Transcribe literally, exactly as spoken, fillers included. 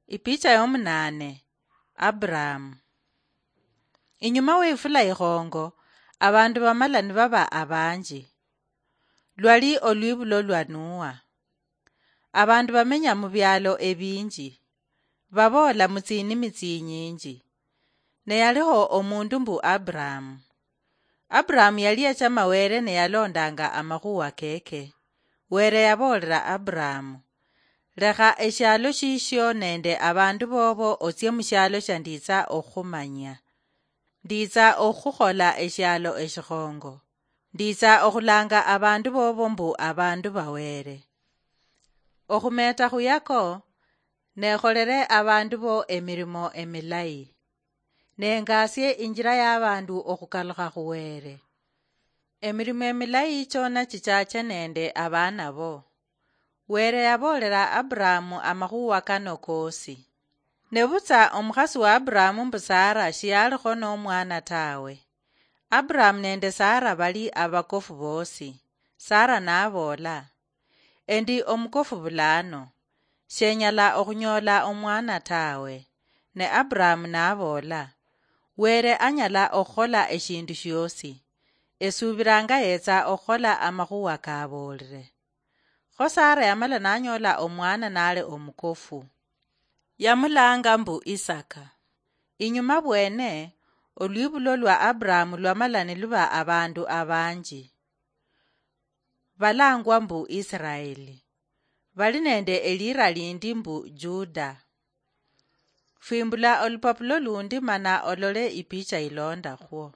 Ipicha yomunaane. Abrahamu. Inyuma weifula ikhongo, abandu bamala nibaba abanji. Lwali olwibulo lwa Nuwa. Abandu bamenya mubialo ebinji, baboola mutsinimi tsinyinji. Ne yaliho omundu mbu Abrahamu. Abrahamu yali yachama Were ne yalondanga amakhuwa keke. Were yaboolera Abrahamu, "Lekha eshialo shishio nende abandu bobo otsie mushialo shandiitsa okhumanyia. Ndiitsa okhukhola eshialo eshikhongo. Ndiitsa okhulanga abandu bobo mbu abandu ba Were. Okhumeta khuyako, nekholere abandu bo emirimo emilayi. Nengasie injira y'abandu okhukalukha khu Were. Emirimo emilayi chona chichache nende abaana bo." Were yaboolera Abrahamu amakhuwa kano koosi. Nebutsa omukhasi wa Abrahamu mbu Sara shiyalikho nomwana tawe. Abrahamu nende Sara bali abakofu bosi. Sara naboola, "Endi omukofu bulano, shenyala okhunyoola omwana tawe." Ne Abrahamu naboola, "Were anyala okhukhola eshindu shiosi. Esuubiranga yetsa okhukhola amakhuwa kaboolire." Kho Sara yamala nanyoola omwana nali omukofu. Yamulanga mbu Isaka. Inyuma bwene, olwibulo lwa Abrahamu lwamala niluba abandu abanji. Balangwa mbu Israeli. Bali nende elira lindi mbu Juda. Fwimbula olupapulo lundi mana olole ipicha ilondakhwo.